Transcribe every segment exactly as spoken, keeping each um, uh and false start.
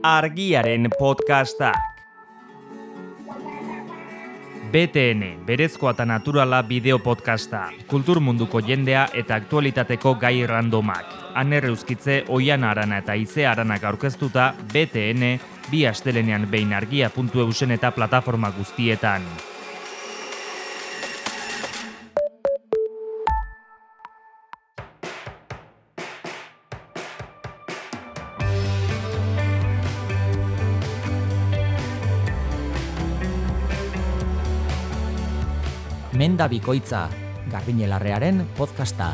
Argiaren podcastak. B T N, berezkoa eta naturala bideo podcasta, kultur munduko jendea eta aktualitateko gai randomak. Aner Euskitze, Oiana Arana eta Ize Aranak aurkeztuta B T N, bi astelenean behin argia puntu eusen eta plataforma guztietan. Menda Bikoitza, Garbiñelarrearen podcasta.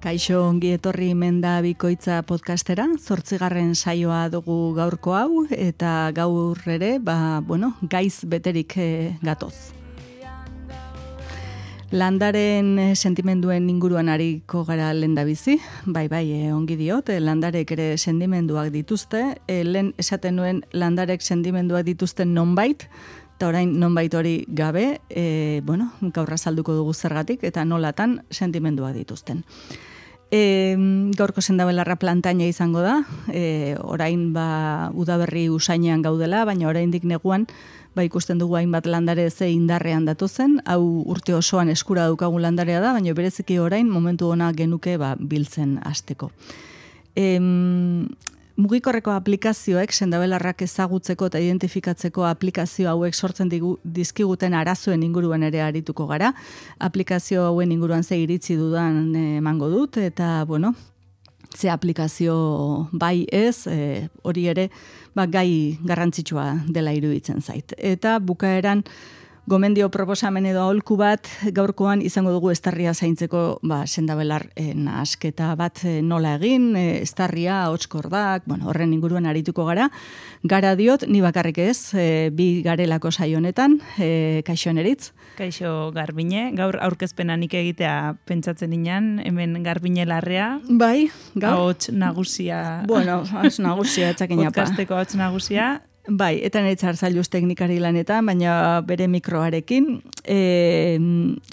Kaixo, ongi etorri Menda Bikoitza podcastera, zortzigarren saioa dugu gaurko hau, eta gaur ere, ba, bueno, gaiz beterik eh, gatoz. Landaren sentimenduen inguruan ariko gara lehendabizi, bai bai eh, ongi diot, eh, landarek ere sentimenduak dituzte, eh, lehen esaten nuen landarek sentimenduak dituzten nonbait, eta orain nonbait hori gabe, eh, bueno, gaur azalduko dugu zergatik, eta nolatan sentimenduak dituzten. E, gaurko sendabelarra plantaina izango da, e, orain ba, udaberri usainean gaudela, baina oraindik neguan ba, ikusten dugu hainbat landare ze indarrean datozen, hau urte osoan eskura daukagun landarea da, baina bereziki orain momentu ona genuke ba, biltzen hasteko. E, mugikorreko aplikazioek sendabelarrak ezagutzeko eta identifikatzeko aplikazio hauek sortzen digu, dizkiguten arazoen inguruan ere arituko gara. Aplikazio hauen inguruan ze iritzi dudan emango dut, eta bueno, ze aplikazio bai ez, e, hori ere ba, gai garrantzitsua dela iruditzen zait. Eta bukaeran gomendio proposamen edo aholku bat gaurkoan izango dugu estarria zaintzeko ba, sendabelar e, nahasketa bat e, nola egin, e, estarria, hotskordak, bueno, horren inguruan arituko gara. Gara diot, ni bakarrik ez, e, bi garelako saio honetan, e, kaixo Eneritz. Kaixo Garbine, gaur aurkezpena nik egitea pentsatzen inan, hemen Garbiñelarrea. Bai, gaur. Ahots nagusia. Bueno, ahots nagusia, txakinapa. Podcasteko ahots nagusia. Bai, eta netzar zailuz teknikari lanetan, baina bere mikroarekin. E,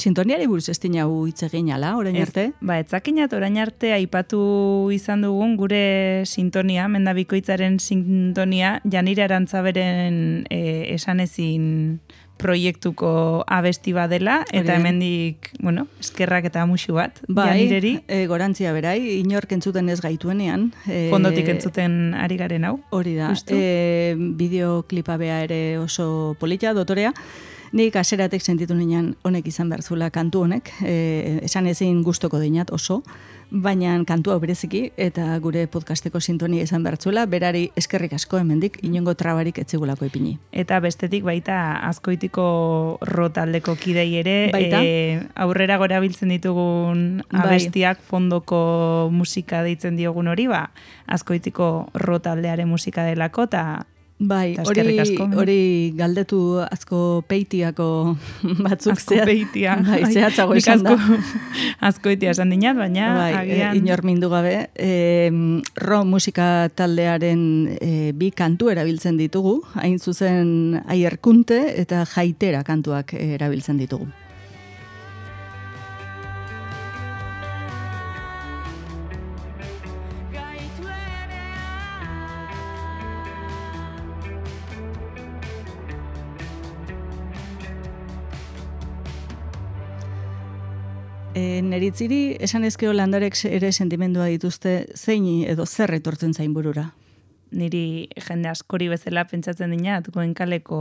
sintoniari buruz ez dina hu hitz egin ala, orain arte? Ba, etzakinat orain arte aipatu izan dugun gure sintonia, Menda Bikoitzaren sintonia, Janire Arantzaberen e, esanezin proiektuko abesti badela, eta hemendik, bueno, eskerrak eta musu bat, bai, Janireri. E, gorantzia berai, inork entzuten ez gaituenean. E, Fondotik entzuten ari garen hau. Hori da, e, bideoklipa bea ere oso polita, dotorea. Nik aseratek sentitu nian honek izan behar zuela kantu honek, e, esan ezin gustoko dinat oso, baina kantu hau bereziki eta gure podcasteko sintonia izan behar zuela, berari eskerrik asko hemendik, inongo trabarik etzigulako ipini. Eta bestetik baita Azkoitiko rotaldeko kidei ere, e, aurrera gora biltzen ditugun abestiak fondoko musika deitzen diogun hori, ba, Azkoitiko rotaldearen musika delako, eta Bai, hori, hori galdetu Azko Peitiako batzuk. Azko Peitia. Bai, zehatzago esan da. Azkoitia esan dinat, baina bai, agian... E, inor mindu gabe. E, ro musika taldearen e, bi kantu erabiltzen ditugu, hain zuzen Aierkunte eta Jaitera kantuak erabiltzen ditugu. E, Neritziri, esan ezkeo landarek ere sentimendua dituzte, zein edo zer etortzen zain burura? Niri jende askori bezala pentsatzen dinat, Goenkaleko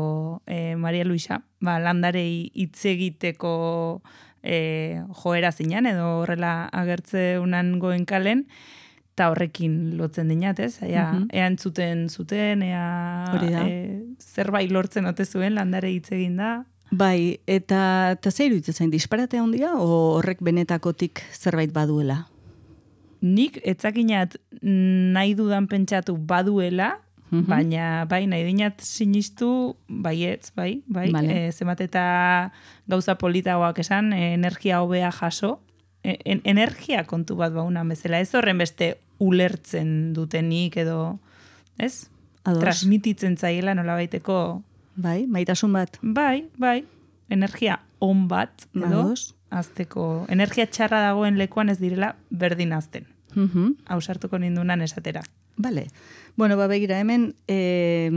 e, Maria Luisa, ba, landarei hitz egiteko e, joera zinan, edo horrela agertze unan Goenkalen, eta horrekin lotzen dinat, ez? Ea, uh-huh. ea entzuten zuten, ea e, zerbait lortzen ote zuen landare hitz egin da. Bai, eta, eta zer iruditzen zain, disparatea handia, o horrek benetakotik zerbait baduela? Nik etzakinat nahi dudan pentsatu baduela, uh-huh. baina bai, nahi dinat sinistu, baietz, bai, bai, vale. e, zemat eta gauza politagoak esan, e, energia hobea jaso, e, en, energia kontu bat baunan bezala, ez horren beste ulertzen dutenik edo, ez? Ados. Transmititzen zaiela nola baiteko... Bai, maitasun bat. Bai, bai, energia on bat, edo, ados, azteko, energia txarra dagoen lekuan ez direla berdin azten. Mhm. Hau sartuko nindunan esatera. Bale. Bueno, ba, begira, hemen eh,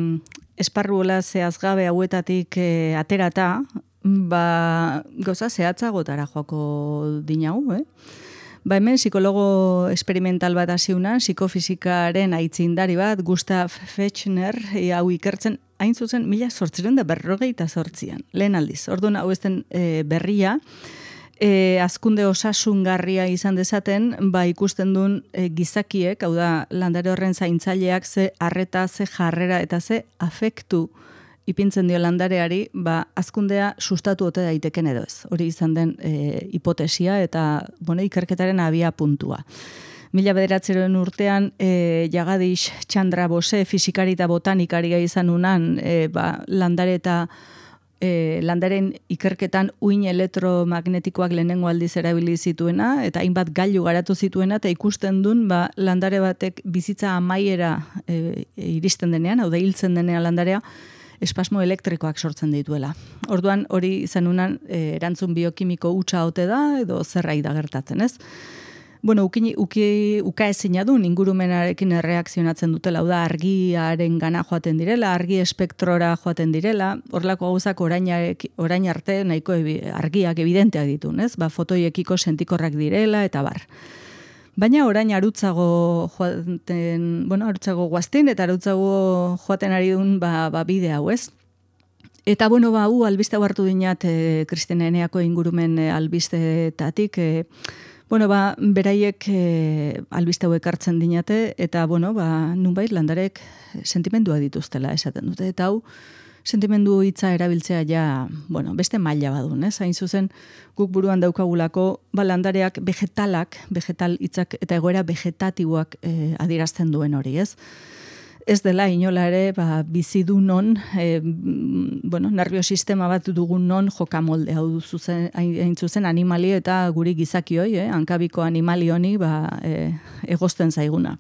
esparruola zehazgabe hauetatik eh, aterata, ba, gauza zehatzagotara joako dinau, eh? Ba, hemen psikologo experimental bat hasiuna, psikofizikaren aitzindari bat, Gustav Fechner, e, hau ikertzen, hain zuzen, mila sortziren da berrogeita sortzian, lehen aldiz. Orduan, hau ezten e, berria, E, azkunde osasungarria izan dezaten, ba ikusten duen e, gizakiek, hau da, landare horren zaintzaileak ze arreta, ze jarrera eta ze afektu ipintzen dio landareari, ba azkundea sustatu ote daiteken edo ez. Hori izan den e, hipotesia eta bueno, ikerketaren abia puntua. Mila bederatzeroen urtean, e, Jagadish Chandra Bose, fisikari eta botanikaria izan unan, e, ba, landare eta E, landaren ikerketan uin elektromagnetikoak lehenengo aldiz erabili zituena, eta hainbat gailu garatu zituena, eta ikusten duen ba, landare batek bizitza amaiera e, e, iristen denean, hau da hiltzen denean landarea, espasmo elektrikoak sortzen dituela. Orduan hori izan unan e, erantzun biokimiko hutsa ote da, edo zerrai da gertatzen, ez? Bueno, uki, uki, uka ezina du, ingurumenarekin erreakzionatzen dutela, hau da, argiaren gana joaten direla, argi espektrora joaten direla, horrelako gauzak orain, orain arte nahiko ebi, argiak evidenteak ditu, ez? Ba, fotoiekiko sentikorrak direla, eta bar. Baina orain arutzago joaten, bueno, arutzago guaztin, eta arutzago joaten ari duen ba, ba bide hau, ez? Eta, bueno, ba, hu, albiste hau hartu dinat, e, Kristina Eneako ingurumen e, albistetatik, e, Bueno, ba, beraiek e, albiste hauek hartzen dinate, eta, bueno, ba, nunbait landarek sentimendua dituztela esaten dute. Eta hau, sentimendu hitza erabiltzea ja, bueno, beste maila badun, ez? Hain zuzen, guk buruan daukagulako, ba, landareak vegetalak, vegetal hitzak eta egoera vegetatiboak e, adierazten duen hori, ez? Ez dela inola ere ba, bizidu non, e, bueno, nerviosistema bat dugun non jokamolde, hau zuzen, hain zuzen animali eta guri gizakioi, eh, hankabiko animali honi ba, e, egozten zaiguna.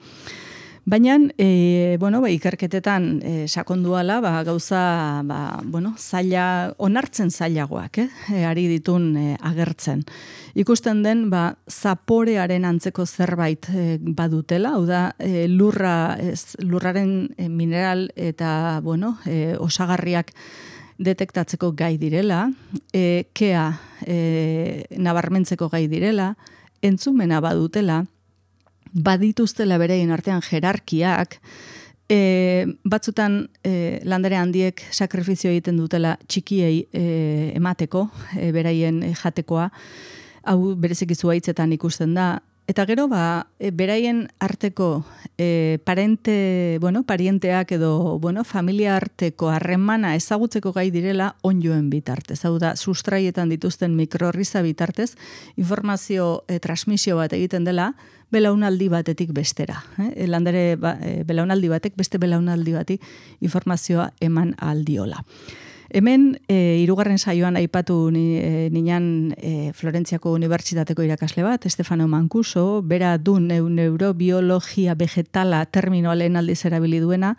Baina, e, bueno, ba, ikerketetan e, sakonduala, ba, gauza ba, bueno, zaila, onartzen zailagoak, eh, e, ari ditun e, agertzen. Ikusten den, ba, zaporearen antzeko zerbait e, badutela, hau da, e, lurra, ez, lurraren e, mineral eta, bueno, e, osagarriak detektatzeko gai direla, e, kea e, nabarmentzeko gai direla, entzumena badutela, badituztela bereien artean jerarkiak, e, batzutan e, landare handiek sakrifizio egiten dutela txikiei e, emateko, e, beraien jatekoa, hau bereziki zuhaitzetan ikusten da, eta gero ba, e, beraien arteko e, parente, bueno, parienteak edo bueno, familia arteko harremana ezagutzeko gai direla onjoen bitartez. Hau da, sustraietan dituzten mikrorriza bitartez, informazio e, transmisio bat egiten dela, belaunaldi batetik bestera. Eh? Landare ba, e, belaunaldi batek beste belaunaldi bati informazioa eman aldiola. Hemen, e, hirugarren saioan aipatu ni, e, ninan e, Florentziako Unibertsitateko irakasle bat, Stefano Mancuso, bera du neu, neurobiologia vegetala terminoa lehen aldiz erabili duena,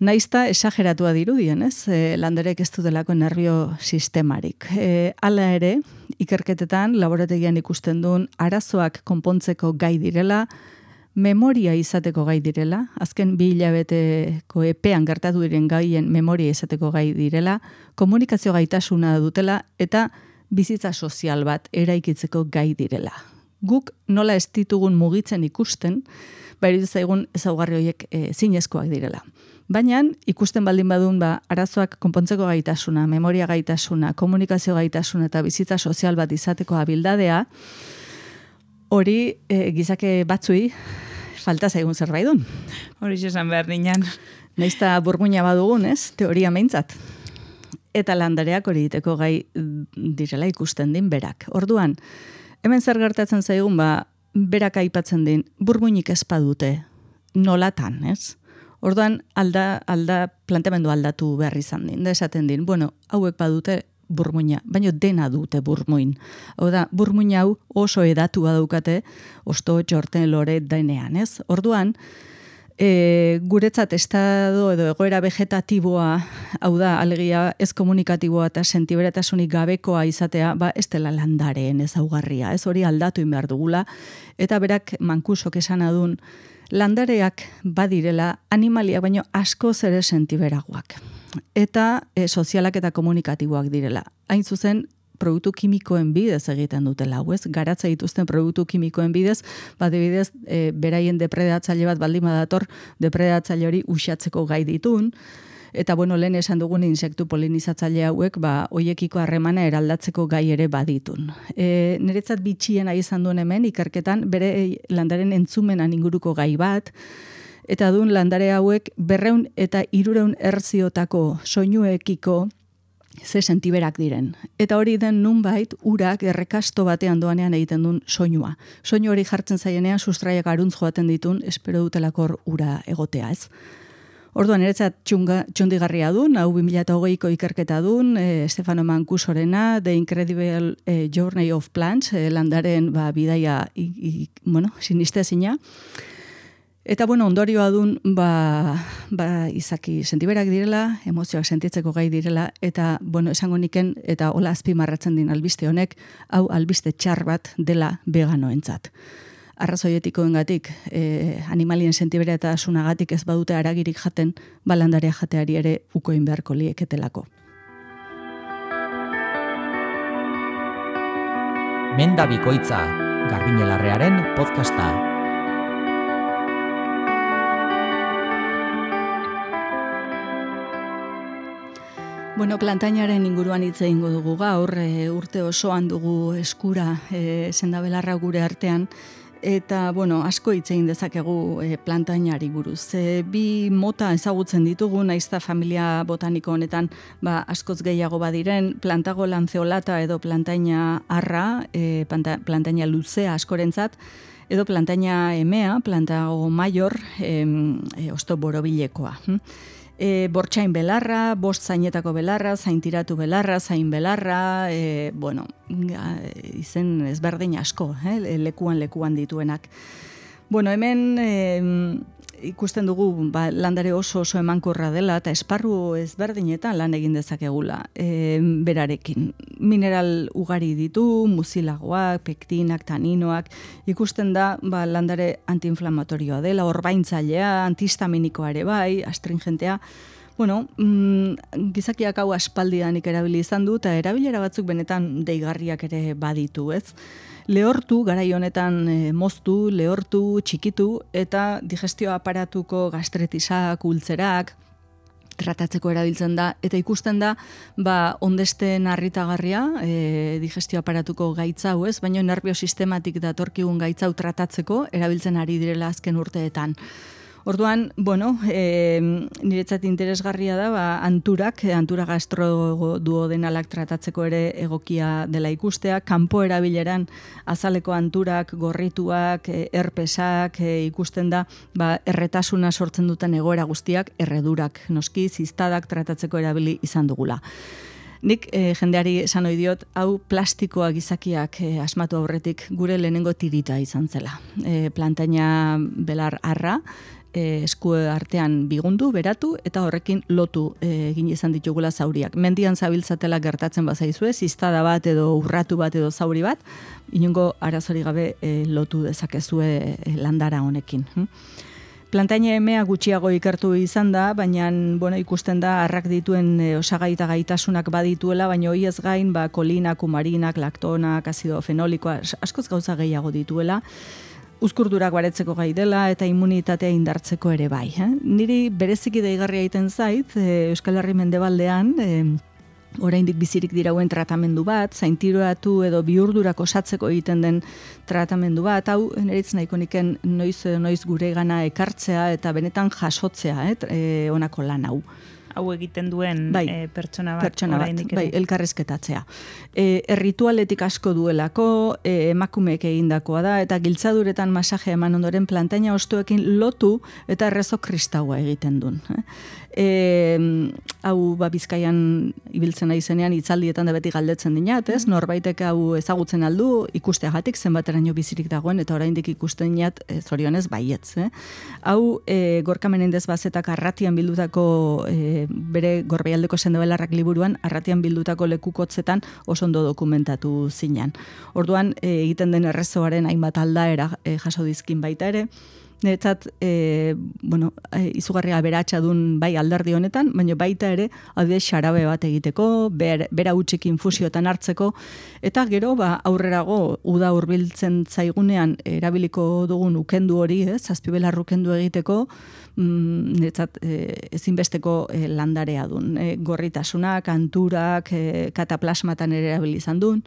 naizta esageratua dirudien, ez? E, landarek ez dutelako nervio sistemarik. E, hala ere, ikerketetan, laborategian ikusten duen, arazoak konpontzeko gai direla, memoria izateko gai direla, azken bi hilabeteko epean gertatu diren gaien memoria izateko gai direla, komunikazio gaitasuna dutela eta bizitza sozial bat eraikitzeko gai direla. Guk nola ez ditugun mugitzen ikusten, bairu zaigun ezaugarri horiek e, zinezkoak direla. Baina ikusten baldin badun ba, arazoak konpontzeko gaitasuna, memoria gaitasuna, komunikazio gaitasuna eta bizitza sozial bat izateko abildadea, hori e, gizake batzui falta zaigun zerbait dun. Hori esan behar ninan. Naizta burmuina badugun, ez? Teoria meintzat. Eta landareak hori diteko gai direla ikusten din berak. Orduan, hemen zer gertatzen zaigun, ba, berak aipatzen din, burmuinik ez badute, nolatan, ez? Orduan, alda, alda, planteamendu aldatu behar izan din. Da esaten din, bueno, hauek badute burmuina, baina dena dute burmuin. Hau da, burmuin hau oso edatu badaukate, osto, txorten, lore, denean, ez? Orduan, E, guretzat estado edo egoera vegetatiboa, hau da, alegia ez komunikatiboa eta sentiberatasunik gabekoa izatea, ba, ez dela landareen ezaugarria, ez hori aldatu behar dugula, eta berak mankusok esan adun, landareak badirela animaliak baino asko zere sentiberagoak, eta e, sozialak eta komunikatiboak direla. Hain zuzen, produktu kimikoen bidez egiten dutela, hau ez? Garatza dituzten produktu kimikoen bidez, bat bidez, e, beraien depredatzaile bat baldin badator, depredatzaile hori uxatzeko gai ditun, eta bueno, lehen esan dugun insektu polinizatzaile hauek, ba, hoiekiko harremana eraldatzeko gai ere baditun. E, niretzat bitxiena izan duen hemen, ikerketan, bere landaren entzumenan inguruko gai bat, eta duen landare hauek berreun eta hirureun hertziotako soinuekiko ze sentiberak diren. Eta hori den nunbait urak errekasto batean doanean egiten duen soinua. Soinu hori jartzen zaienean sustraiak aruntz joaten ditun, espero dutelakor ura egotea, ez? Orduan, niretzat txundigarria dun, hau bi mila hogeiko ikerketa dun, e, Stefano Mancusorena, The Incredible e, Journey of Plants, e, landaren ba, bidaia i, i, bueno, sinistezina. Eta, bueno, ondorioa dun, ba, ba, izaki sentiberak direla, emozioak sentitzeko gai direla, eta, bueno, esango niken, eta hola azpimarratzen din albiste honek, hau albiste txar bat dela veganoentzat. Arrazoietikoengatik, eh, animalien sentibera eta asunagatik ez badute aragirik jaten, balandarea jateari ere ukoin beharko lieketelako. Menda Bikoitza, Garbiñelarrearen podcasta. Bueno, plantainaren inguruan hitz egingo dugu gaur, e, urte osoan dugu eskura e, sendabelarra gure artean, eta, bueno, asko hitz egin dezakegu e, plantainari buruz. E, bi mota ezagutzen ditugu, naizta familia botaniko honetan ba, askoz gehiago badiren, plantago lanceolata edo plantaina arra, e, planta, plantaina luzea askorentzat, edo plantaina emea, plantago maior, e, e, osto borobilekoa. Hm? E, bortxain belarra, bost zainetako belarra, zaintiratu belarra, zain belarra, e, bueno, izen ezberdin asko, eh, lekuan lekuan dituenak. Bueno, hemen e, ikusten dugu ba, landare oso oso emankorra dela eta esparru ezberdinetan lan egin dezakegula e, berarekin. Mineral ugari ditu, muzilagoak, pektinak, taninoak, ikusten da ba, landare antiinflamatorioa dela, orbaintzailea, antihistaminikoa ere bai, astringentea. Bueno, mm, gizakiak hau aspaldidanik erabili izan du, eta erabilera batzuk benetan deigarriak ere baditu, ez? Lehortu, garai honetan e, moztu, lehortu, txikitu, eta digestio aparatuko gastretisak, ultzerak, tratatzeko erabiltzen da, eta ikusten da, ba, ondesten harritagarria, e, digestio aparatuko gaitza hau ez, baina nervio sistematik datorkigun gaitza hau tratatzeko erabiltzen ari direla azken urteetan. Orduan, bueno, e, niretzat interesgarria da, ba, anturak, antura gastroduodenalak tratatzeko ere egokia dela ikustea, kanpo erabileran azaleko anturak, gorrituak, herpesak, e, ikusten da, ba, erretasuna sortzen duten egoera guztiak, erredurak, noski, ziztadak tratatzeko erabili izan dugula. Nik e, jendeari esan ohi diot, hau plastikoa gizakiak e, asmatu aurretik gure lehenengo tirita izan zela. E, plantaina belar arra, E, esku artean bigundu, beratu, eta horrekin lotu e, egin izan ditugula zauriak. Mendian zabiltzatela gertatzen bazaizue, ziztada bat edo urratu bat edo zauri bat, inongo arazori gabe e, lotu dezakezue e, landara honekin. Hm? Plantaina emea gutxiago ikertu izan da, baina bueno, ikusten da arrak dituen e, osagai eta gaitasunak badituela, baina hori ez gain ba, kolinak, kumarinak, laktonak, azido fenolikoa, askoz gauza gehiago dituela, uzkurdurak baretzeko gai dela eta immunitatea indartzeko ere bai. Eh? Niri bereziki deigarria egiten zait, e, Euskal Herri mendebaldean, e, oraindik bizirik dirauen tratamendu bat, zaintiroatu edo bihurdurak osatzeko egiten den tratamendu bat, hau neritz nahiko niken noiz, noiz gure gana ekartzea eta benetan jasotzea, eh? e, onako lan hau. hau egiten duen bai, e, pertsona bat. Pertsona bat, bai, elkarrizketatzea. E, erritualetik asko duelako, e, emakumeek egindakoa da, eta giltzaduretan masajea eman ondoren plantaina ostoekin lotu eta errezo kristaua egiten duen. Eh? E, hau ba, Bizkaian ibiltzen nahi zenean hitzaldietan da beti galdetzen dinat, ez? Norbaitek hau ezagutzen aldu ikusteagatik zenbateraino bizirik dagoen eta oraindik ikusten dinat e, zorionez baietz. Eh? Hau e, Gorka Menendez Bazetak Arratian bildutako e, bere Gorbeialdeko sendabelarrak liburuan Arratian bildutako lekukotzetan oso ondo dokumentatu zinan. Orduan e, egiten den errezoaren hainbat aldaera e, jaso dizkin baita ere. Netzat, e, bueno, e, izugarria beratxa dun bai alderdi honetan, baina baita ere, adibidez xarabe bat egiteko, ber, bera utxik infusiotan hartzeko, eta gero, ba, aurrerago, uda hurbiltzen zaigunean erabiliko dugun ukendu hori, ez, azpibelar ukendu egiteko, mm, netzat, e, ezinbesteko e, landarea dun. E, gorritasuna, kanturak, e, kataplasmatan ere erabilizan dun.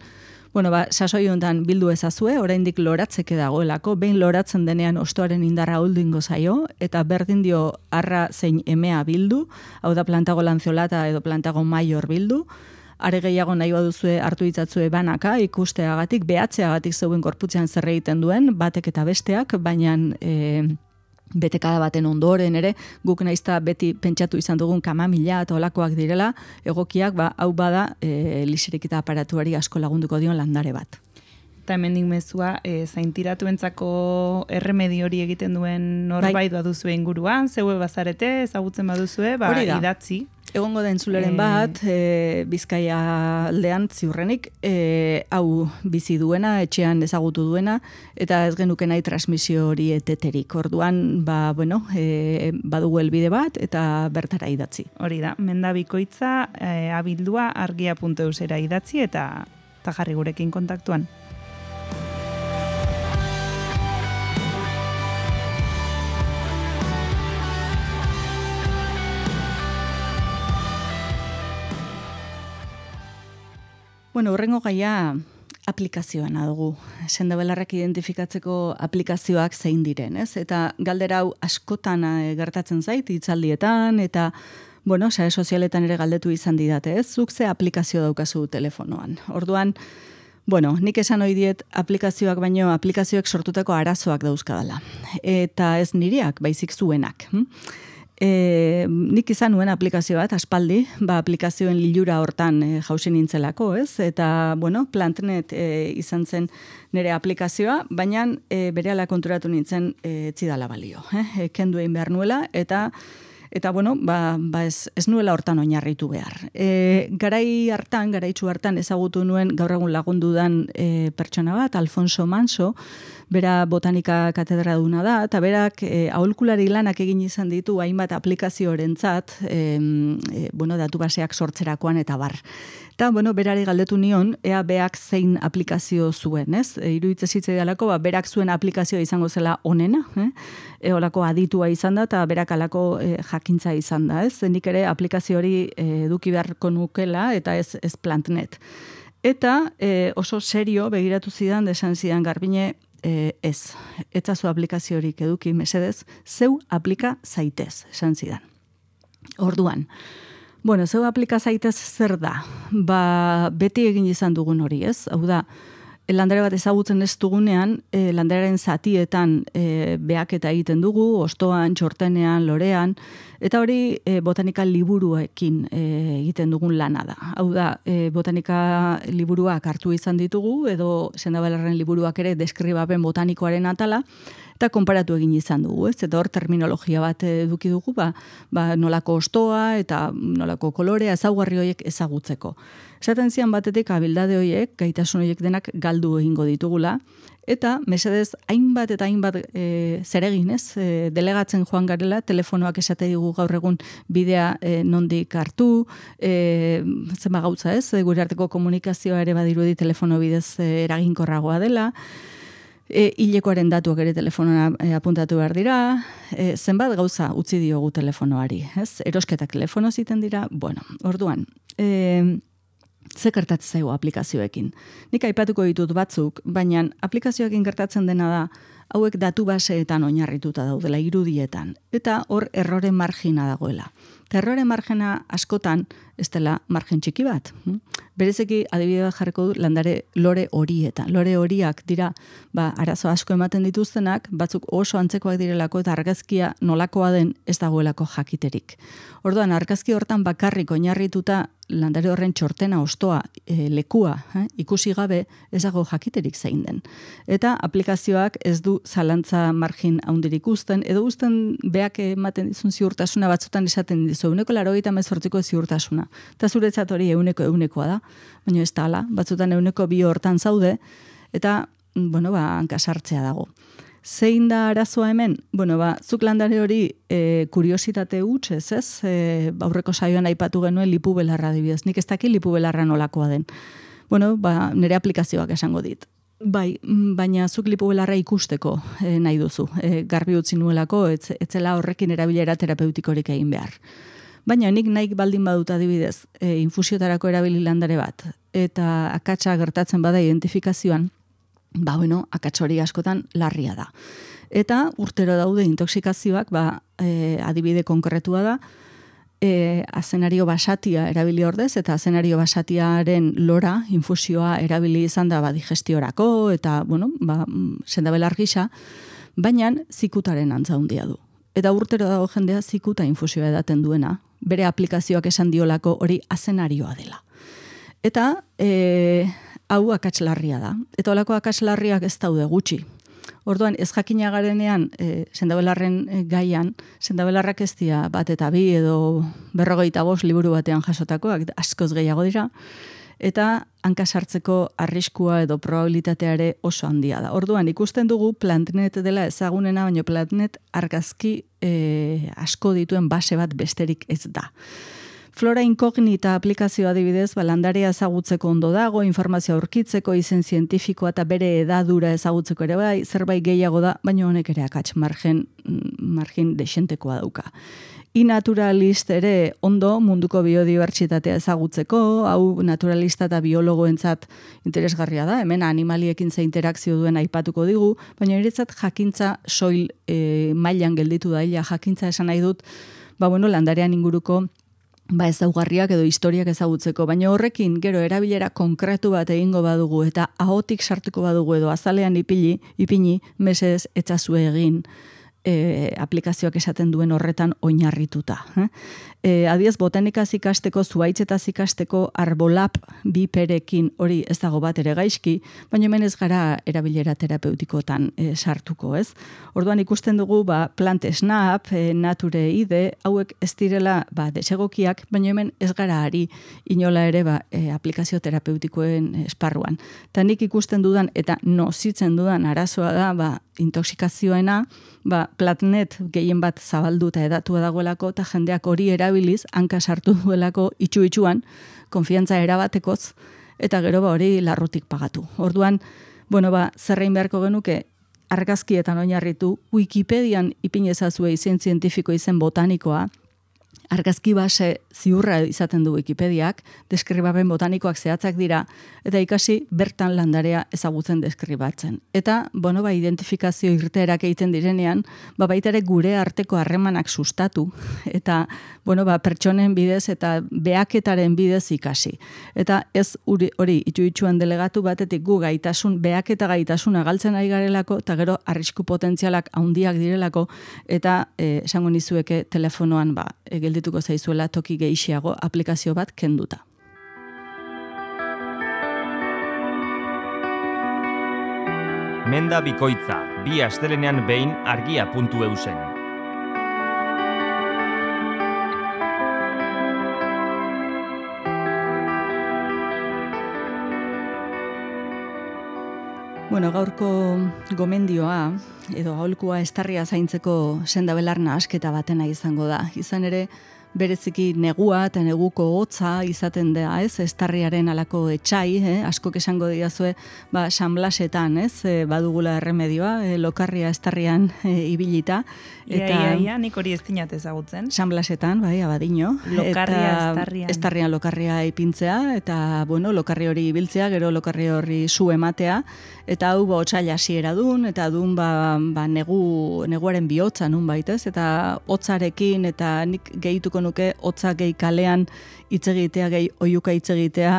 Bueno, ba, sasoi honetan bildu ezazue, oraindik loratzeke dagoelako, behin loratzen denean ostoaren indarra holdingo zaio, eta berdin dio arra zein emea bildu, hau da plantago lanzeolata edo plantago maior bildu, are gehiago nahi baduzue hartu ditzatzue banaka, ikusteagatik, behatzeagatik zeuen gorputzean zer egiten duen, batek eta besteak, baina E, betekada baten ondoren ere, guk naizta beti pentsatu izan dugun kamamila eta olakoak direla, egokiak, ba, hau bada, e, liserekita aparatuari asko lagunduko dion landare bat. Eta hemendik mezua, e, zaintiratuentzako erremedi hori egiten duen norbait baduzue inguruan, zeue bazarete, ezagutzen baduzue, ba, idatzi. Egongo da entzuleren bat, e, Bizkaia aldean ziurrenik, e, hau bizi duena, etxean ezagutu duena, eta ez genuke nahi transmisio hori eteterik. Orduan, ba, bueno, e, badugu helbide bat, eta bertara idatzi. Hori da, mendabikoitza, e, abildua, argia puntu eusera idatzi, eta, eta jarri gurekin kontaktuan. Bueno, horrengo gaia aplikazioana dugu. Sendabelarrak identifikatzeko aplikazioak zein diren, ez? Eta galdera hau askotan e, gertatzen zait, hitzaldietan, eta, bueno, sare sozialetan ere galdetu izan didate, ez? Zuk ze aplikazio daukazu telefonoan. Orduan, bueno, nik esan ohi diet aplikazioak baino aplikazioek sortutako arazoak dauzkadala. Eta ez niriak, baizik zuenak. Hm? E, nik izan nuen aplikazio bat, aspaldi, ba, aplikazioen lilura hortan e, jausen nintzelako, ez? Eta, bueno, Plantnet e, izan zen nire aplikazioa, baina e, berehala konturatu nintzen e, etzidala balio. Eh? E, kendu egin behar nuela, eta Eta, bueno, ba, ba ez, ez nuela hortan oinarritu behar. E, garai hartan, garaitzu hartan ezagutu nuen gaur egun lagundudan e, pertsona bat, Alfonso Manso, bera botanika katedra duna da, eta berak e, aholkulari lanak egin izan ditu hainbat aplikaziorentzat, e, e, bueno, datu baseak sortzerakoan eta bar. Eta, bueno, berari galdetu nion, ea beak zein aplikazio zuen, ez? E, Iruditze zitzaidanako, ba, berak zuen aplikazioa izango zela onena, eh? E, olako aditua izan da, eta berak alako e, jakintza izan da, ez? Nik ere aplikazio hori e, eduki beharko nukela, eta ez, ez Plantnet. Eta e, oso serio begiratu zidan, desan zidan Garbine, e, ez, etzazu aplikazio horik eduki mesedez, zeu aplika zaitez, esan zidan. Orduan, bueno, zeu aplika zaitez zer da? Ba, beti egin izan dugun hori, ez? Hau da, landare bat ezagutzen ez dugunean, e, landarearen zatietan e, behaketa egiten dugu, ostoan, txortenean, lorean, eta hori e, botanika liburuekin e, egiten dugun lana da. Hau da, e, botanika liburuak hartu izan ditugu, edo sendabelarren liburuak ere deskribapen botanikoaren atala, eta konparatu egin izan dugu, ez? Eta hor terminologia bat eduki dugu, ba, ba nolako ostoa eta nolako kolorea, ezaugarri horiek ezagutzeko. Esaten zian batetik abildade horiek, gaitasun horiek denak galdu egingo ditugula, eta mesedez hainbat eta hainbat e, zeregin, ez? E, delegatzen joan garela, telefonoak esate digu gaur egun bidea e, nondik hartu, e, zenba gautza, ez? E, gure arteko komunikazioa ere badirudi telefono bidez e, eraginkorragoa dela, E, hilekoaren datuak ere telefonora e, apuntatu behar dira, e, zenbat gauza utzi diogu telefonoari, ez? Erosketak telefono ziten dira, bueno, orduan, e, ze gertatzen zaigu aplikazioekin. Nik aipatuko ditut batzuk, baina aplikazioekin gertatzen dena da, hauek datu baseetan oinarrituta daudela irudietan, eta hor errore margina dagoela. Eta errore margina askotan, ez dela margen txiki bat. Berezeki adibide bat jarriko du landare lore horietan. Lore horiak dira, ba, arazo asko ematen dituztenak, batzuk oso antzekoak direlako eta argazkia nolakoa den ez dagoelako jakiterik. Orduan, argazki hortan bakarrik oinarrituta landare horren txortena ostoa, e, lekua, eh, ikusi gabe ez dago jakiterik zein den. Eta aplikazioak ez du zalantza margin handirik uzten, edo uzten beak ematen dizun ziurtasuna batzutan esaten dizu, euneko laurogeita hemezortziko ziurtasuna. Eta zuretzat hori euneko eunekoa da, baina ez da hala, batzutan euneko bi hortan zaude, eta, bueno, ba, hankasartzea dago. Zein da arazoa hemen? Bueno, ba, zuk landare hori e, kuriositate huts, ez ez? E, aurreko saioan aipatu genuen lipu belarra adibidez. Nik ez daki lipu belarra nolakoa den. Bueno, ba, nire aplikazioak esango dit. Bai, baina zuk lipu belarra ikusteko e, nahi duzu. E, garbi utzi nuelako, etz, etzela horrekin erabilera terapeutikorik egin behar. Baina nik nahi baldin badut adibidez, e, infusiotarako erabili landare bat, eta akatsa gertatzen bada identifikazioan, ba, bueno, akats hori askotan larria da. Eta urtero daude intoxikazioak, ba, e, adibide konkretua da, e, azenario basatia erabili ordez, eta azenario basatiaren lora, infusioa erabili izan da, ba, digestiorako, eta, bueno, ba, sendabelar gisa, baina zikutaren antza handia du. Eta urtero dago jendea zikuta infusioa edaten duena, bere aplikazioak esan diolako hori azenarioa dela. Eta, e, hau akatslarria da. Eta holako akatslarriak ez daude gutxi. Orduan, ez jakina garenean, e, sendabelarren e, gaian, sendabelarrak ez dira bat eta bi edo berrogeita bost liburu batean jasotakoak, askoz gehiago dira, eta hankasartzeko arriskua edo probabilitateare oso handia da. Orduan, ikusten dugu Plantnet dela ezagunena, baina Plantnet argazki e, asko dituen base bat besterik ez da. Flora Inkognita aplikazioa adibidez, ba, landarea ezagutzeko ondo dago, informazioa aurkitzeko, izen zientifikoa eta bere edadura ezagutzeko ere bai, zerbait gehiago da, baina honek ere akats margen, margin desentekoa dauka. Inaturalist ere ondo munduko biodibertsitatea ezagutzeko, hau naturalista eta biologoentzat interesgarria da, hemen animaliekin ze interakzio duen aipatuko digu, baina niretzat jakintza soil e, mailan gelditu da, jakintza esan nahi dut, ba, bueno, landarean inguruko ba ezaugarriak edo historiak ezagutzeko, baina horrekin gero erabilera konkretu bat egingo badugu eta ahotik sartuko badugu edo azalean ipili, ipini, mesedez etzazue egin e, aplikazioak esaten duen horretan oinarrituta. Eh? E, adiez, botanikaz ikasteko, zuaitzetaz ikasteko arbolap biperekin hori ez dago bat ere gaizki, baina hemen ez gara erabilera terapeutikotan e, sartuko, ez? Orduan ikusten dugu, ba, Plant Snap, e, Nature I D, hauek ez direla ba, desegokiak, baina hemen ez gara ari inola ere ba, e, aplikazio terapeutikoen esparruan. Eta nik ikusten dudan eta nozitzen dudan arazoa da, ba, intoxikazioena, ba, Plantnet gehien bat zabalduta edatua dagoelako, eta jendeak hori erabiliz, hanka sartu duelako itxu-itxuan, konfiantza erabatekoz, eta gero ba hori larrutik pagatu. Orduan, bueno, ba, zerrein beharko genuke, argazkietan oinarritu, Wikipedian ipinezazue izen zientifiko izen botanikoa, argazki base ziurra izaten du Wikipediak, deskribapen botanikoak zehatzak dira, eta ikasi bertan landarea ezagutzen deskribatzen. Eta, bueno, ba, identifikazio irteerak egiten direnean, ba, baita ere gure arteko harremanak sustatu, eta, bueno, ba, pertsonen bidez eta behaketaren bidez ikasi. Eta ez hori, hori itxu-itxuan delegatu batetik gu gaitasun, behaketa gaitasuna galtzen ari garelako, eta gero arrisku potentzialak handiak direlako, eta eh, esango nizueke telefonoan, ba, geldituko zaizuela toki gehiago aplikazio bat kenduta. Menda bikoitza, bi astelenean behin argia puntu eusen. Bueno, gaurko gomendioa, edo aholkua estarria zaintzeko sendabelar nahasketa batena izango da. Izan ere, bereziki negua eta neguko hotza izaten da, ez? Estarriaren alako etxai, eh? Askok esango diazue, ba, San Blasetan, ez? E, badugula erremedioa, e, lokarria estarrian e, ibilita. Eta ia, ia, ia, nik hori ez dinat ezagutzen. San Blasetan, bai, abadino. Lokarria eta, estarrian. Estarrian lokarria ipintzea, eta, bueno, lokarri hori ibiltzea, gero lokarri hori zu ematea, eta hau ba, otsaila hasiera dun, eta dun ba, ba, negu, neguaren bihotza nun baitez, eta hotzarekin, eta nik gehituko nuke hotza gehi kalean hitz egitea, gehi oiuka hitz egitea,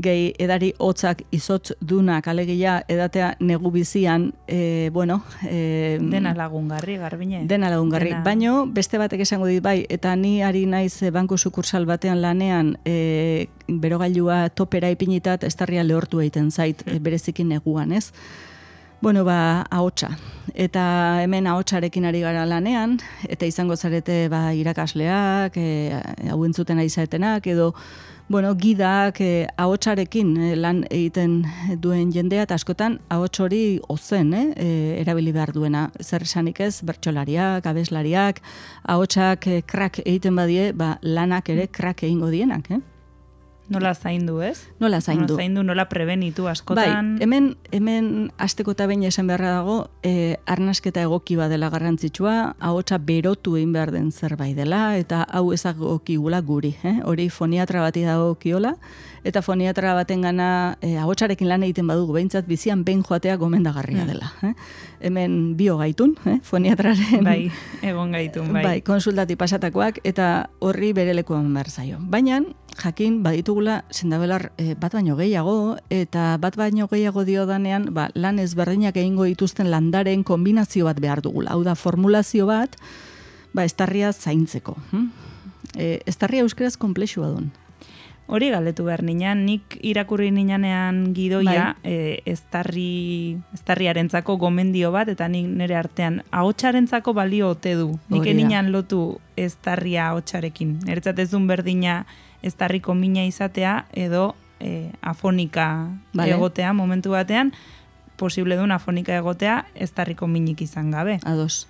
gehi edari hotzak izotz dunak, alegia edatea negu bizian, e, bueno... E, dena lagungarri, Garbine. Dena lagungarri, dena... baino beste batek esango dit bai, eta ni ari naiz banku sukursal batean lanean, e, berogailua topera ipinitat, estarria lehortu egiten zait, e, berezikin neguan, ez? Bueno, ba, ahotsa. Eta hemen ahotsarekin ari gara lanean, eta izango zarete ba, irakasleak, e, hau entzuten ari zaetenak, edo bueno, gidak e, ahotsarekin e, lan egiten duen jendea, eta askotan ahots hori ozen, eh, e, erabili behar duena. Zer esanik ez, bertsolariak, abeslariak, ahotsak e, krak egiten badie, ba, lanak ere krak egingo dienak, eh? Nola zaindu, ez? Nola zaindu. Nola zaindu, nola prebenitu askotan. Bai, hemen, hemen asteko eta behin esan beharra dago, e, arnasketa egoki badela garrantzitsua, ahotsa berotu egin behar den zerbait dela, eta hau ezagokigula guri. Eh? Hori foniatra bati dagokiola, eta foniatra baten gana e, ahotsarekin lan egiten badugu, behintzat bizian behin joatea gomendagarria dela. Eh? Hemen bio gaitun, eh? Foniatraren... Bai, egon gaitun, bai. Bai, konsultati pasatakoak, eta horri bere lekuan behar zaio. Baina, jakin, baditugula, sendabelar e, bat baino gehiago, eta bat baino gehiago dio danean, ba, lan ezberdinak egingo dituzten landaren kombinazio bat behar dugula. Hau da, formulazio bat, ba, estarria zaintzeko. Hm? E, estarria euskeraz komplexua duen. Hori galdetu behar ninan, nik irakurri ninanean gidoia, bai. e, estarri, estarriarentzako gomendio bat, eta nik nire artean ahotsarentzako balio ote du. Nik ninan lotu estarria ahotsarekin. Niretzat ez duen berdina estarriko mina izatea, edo e, afonika vale. Egotea momentu batean, posible duen afonika egotea, estarriko minik izan gabe. Ados.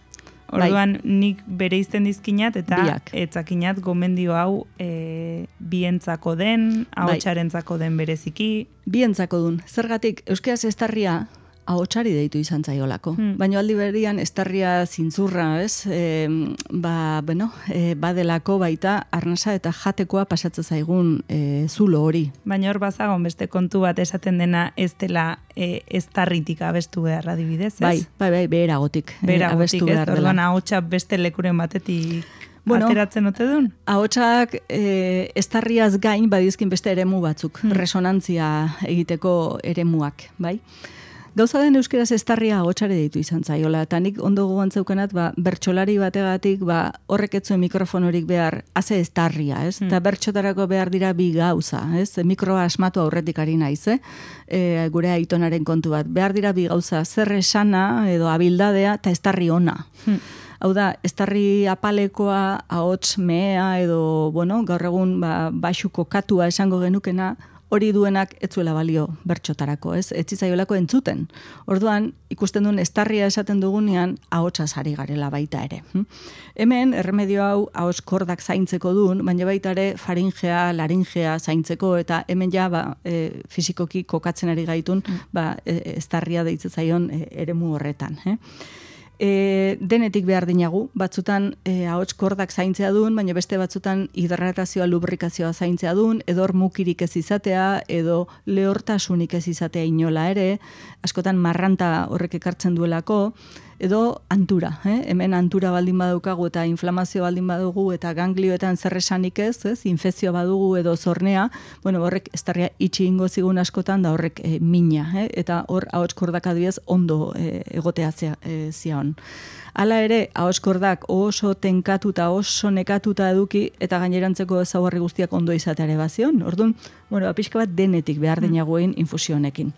Orduan, bai. Nik bere izten dizkinat, eta Biak. etzakinat gomendio hau e, bientzako den, ahotsarentzako den bereziki. Bientzako dun. Zergatik, euskeraz estarria ahotsari deitu izan zaiolako. Hmm. Baina aldi berian estarria zintzurra, ez? E, ba, bueno, e, badelako baita arnasa eta jatekoa pasatzen zaigun e, zulo hori. Baina hor bazagon beste kontu bat esaten dena ez dela e, estarritik abestu behar adibidez, ez? Bai, bai, bai, beheragotik. Beheragotik, ez? Orduan ahotsa beste lekuren batetik bueno, ateratzen ote duen? Ahotsak e, estarriaz gain badizkin beste eremu batzuk, hmm. resonantzia egiteko eremuak, bai? Gauza den euskeraz estarria ahotsare deitu izan zaiola, eta nik ondo gogoan zeukanat, ba, bertsolari bategatik, ba, horrek etzuen mikrofonorik behar, haze estarria, ez? Eta hmm. bertxotarako behar dira bi gauza, ez? Mikroa asmatu aurretik ari naiz, eh? E, gure aitonaren kontu bat. Behar dira bi gauza, zer esana edo abildadea, eta estarri ona. Hmm. Hau da, estarri apalekoa, ahots mea, edo, bueno, gaur egun, ba, baxuko katua esango genukena, hori duenak ez zuela balio bertxotarako, ez? Ez zaiolako entzuten. Orduan, ikusten duen estarria esaten dugunean, ahotsaz ari garela baita ere. Hm? Hemen, erremedio hau, ahots kordak zaintzeko duen, baina baita ere faringea, laringea zaintzeko, eta hemen ja, ba, e, fizikoki kokatzen ari gaitun, ba, e, estarria deitzen zaion e, eremu horretan. Eh? E, denetik behar dinagu, batzutan e, ahots kordak zaintzea duen, baina beste batzutan hidratazioa, lubrikazioa zaintzea duen, edor mukirik ez izatea, edo lehortasunik ez izatea inola ere, askotan marranta horrek ekartzen duelako, edo antura, eh? Hemen antura baldin badaukagu eta inflamazio baldin badugu eta ganglioetan zerresanik ez, ez? Infekzioa badugu edo zornea, bueno, horrek estarria itxi ingo zigun askotan da horrek e, mina, eh? Eta hor ahots kordak adibidez ondo e, egotea zia, e, zion. Hala ere, ahots kordak oso tenkatuta, oso nekatuta eduki eta gainerantzeko ezaugarri guztiak ondo izateare bazion. Orduan, bueno, pixka bat denetik behar dinagoen infusionekin.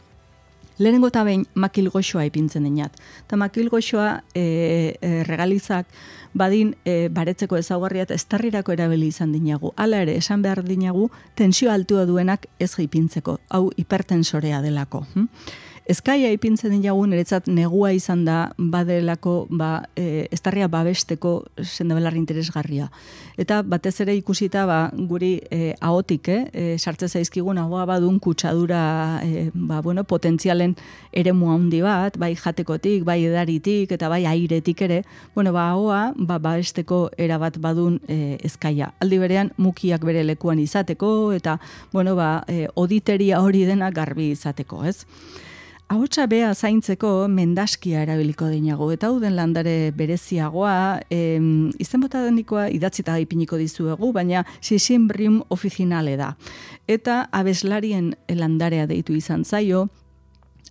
Lehenengo eta behin makilgoxoa ipintzen dinat. Eta makilgoxoa e, e, regalizak badin e, baretzeko ezaugarria eta estarrirako erabili izan dinagu. Hala ere, esan behar dinagu, tensio altua duenak ez ipintzeko. Hau hipertensorea delako. Hm? Ezkaia ipintzen dinagun, niretzat negua izan da, badelako, ba, e, estarria babesteko sendabelarri interesgarria. Eta batez ere ikusita, ba, guri e, ahotik, eh, e, sartze zaizkigun ahoa badun kutsadura, e, ba, bueno, potentzialen eremu handi bat, bai jatekotik, bai edaritik, eta bai airetik ere, bueno, ba, ahoa, ba, babesteko erabat badun e, ezkaia. Aldi berean, mukiak bere lekuan izateko, eta, bueno, ba, e, oditeria hori dena garbi izateko, ez? Ahotsa bea zaintzeko mendaskia erabiliko dinago, eta hau den landare bereziagoa, em, izen bota denikoa idatzita ipiniko dizuegu, baina Sisimbrium officinale da. Eta abeslarien landarea deitu izan zaio,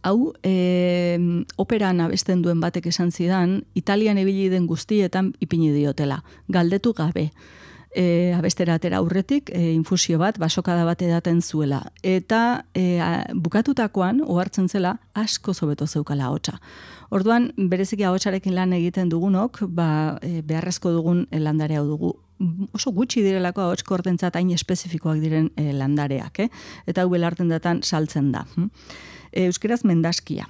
hau e, operan abesten duen batek esan zidan, Italian ibili den guztietan ipini diotela, galdetu gabe. E, abestera atera aurretik, e, infusio bat, basokada bat edaten zuela. Eta e, a, bukatutakoan, ohartzen zela, asko zobeto zeukala ahotsa. Orduan, bereziki ahotsarekin lan egiten dugunok, ba, e, beharrezko dugun landare hau dugu. Oso gutxi direlako ahots kortentzat hain espezifikoak diren e, landareak, eh? Eta hau belarten datan saltzen da. Euskeraz mendaskia.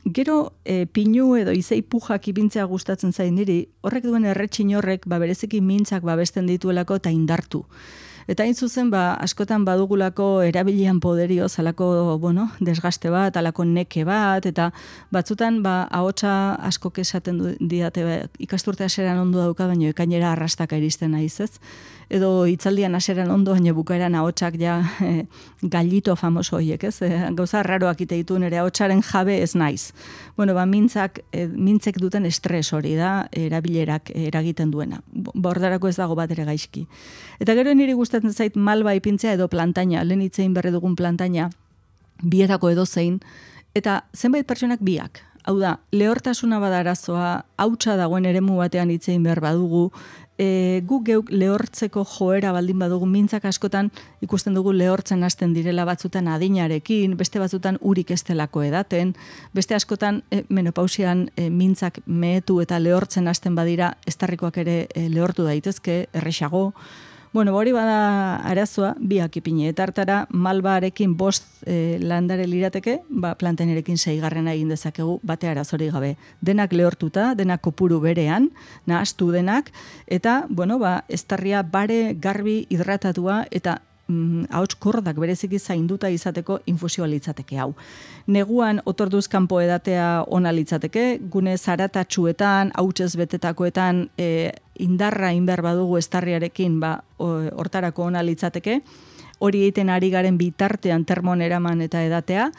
Gero e, pinu edo izei pujak ipintzea gustatzen zain niri, horrek duen erretxin horrek ba, bereziki mintzak babesten dituelako eta indartu. Eta hain zuzen, ba, askotan badugulako erabilian poderio, zalako, bueno, desgaste bat, alako neke bat, eta batzutan, ba, ahotsa asko esaten du, diate, ba, ikasturte haseran ondo dauka, baina ekainera arrastaka iristen naiz, ez? Edo hitzaldian haseran ondo, baina bukaeran ahotsak ja e, gallito famoso hoiek, ez? E, gauza raroak ite ditu nire ahotsaren jabe ez naiz. Bueno, ba, mintzak, e, mintzek duten estres hori da, erabilerak eragiten duena. Bordarako ez dago bat ere gaizki. Eta gero niri gustatzen zait malba ipintzea edo plantaina, lehen hitzein berri dugun plantaina, bietako edo zein, eta zenbait pertsonak biak. Hau da, lehortasuna badarazoa, hautsa dagoen eremu batean hitzein behar badugu, e, gu geuk lehortzeko joera baldin badugu, mintzak askotan ikusten dugu lehortzen hasten direla batzutan adinarekin, beste batzutan urik estelako edaten, beste askotan e, menopausian e, mintzak mehetu eta lehortzen hasten badira, estarrikoak ere e, lehortu daitezke, errexago. Bueno, hori bada arazoa, biak ipini. Eta hartara, malbarekin bost e, landare lirateke, ba, plantenerekin seigarrena egin dezakegu, bate arazori gabe. Denak lehortuta, denak kopuru berean, nahastu denak, eta, bueno, ba, estarria bare, garbi, hidratatua, eta mm, ahots kordak bereziki zainduta izateko infusioa litzateke hau. Neguan otorduz kanpo edatea ona litzateke, gune zaratatsuetan, hautsez betetakoetan, e, indarra inber badugu estarriarekin, ba, hortarako ona litzateke, hori egiten ari garen bitartean termon eraman eta edatea,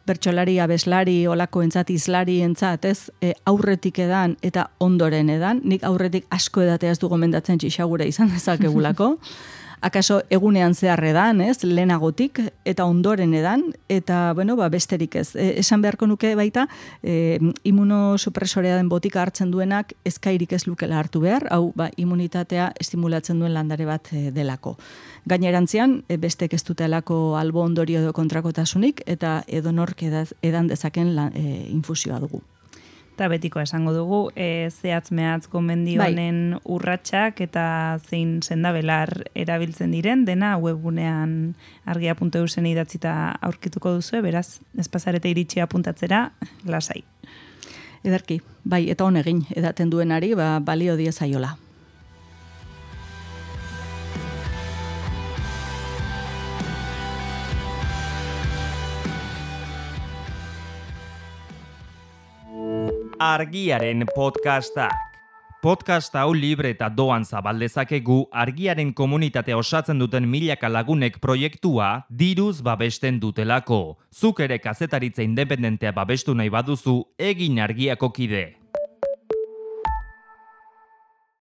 bertsolari, abeslari, olako entzat, izlari entzat, ez, e, aurretik edan eta ondoren edan, nik aurretik asko edatea ez du gomendatzen txixagura izan dezakegulako, akaso egunean zehar edan, ez, lehenagotik, eta ondoren edan, eta, bueno, ba, besterik ez. E, esan beharko nuke baita, e, imunosupresorea den botika hartzen duenak, ezkairik ez lukela hartu behar, hau, ba, immunitatea estimulatzen duen landare bat e, delako. Gainerantzian, e, bestek ez dutelako albo ondorio edo kontrakotasunik, eta edonork edan dezaken lan, e, infusioa dugu. Eta betiko esango dugu, e, zehatz mehatz gomendio honen bai. Urratsak eta zein sendabelar erabiltzen diren, dena webgunean argia puntu e u zen idatzita aurkituko duzu, beraz, espazarete iritsi apuntatzera, lasai. Ederki, bai, eta honegin, edaten duenari, ba, balio diezaiola. Argiaren podcastak. Podcast hau libre eta doan zabaldezakegu argiaren komunitatea osatzen duten milaka lagunek proiektua diruz babesten dutelako. Zuk ere kazetaritza independentea babestu nahi baduzu, egin argiako kide.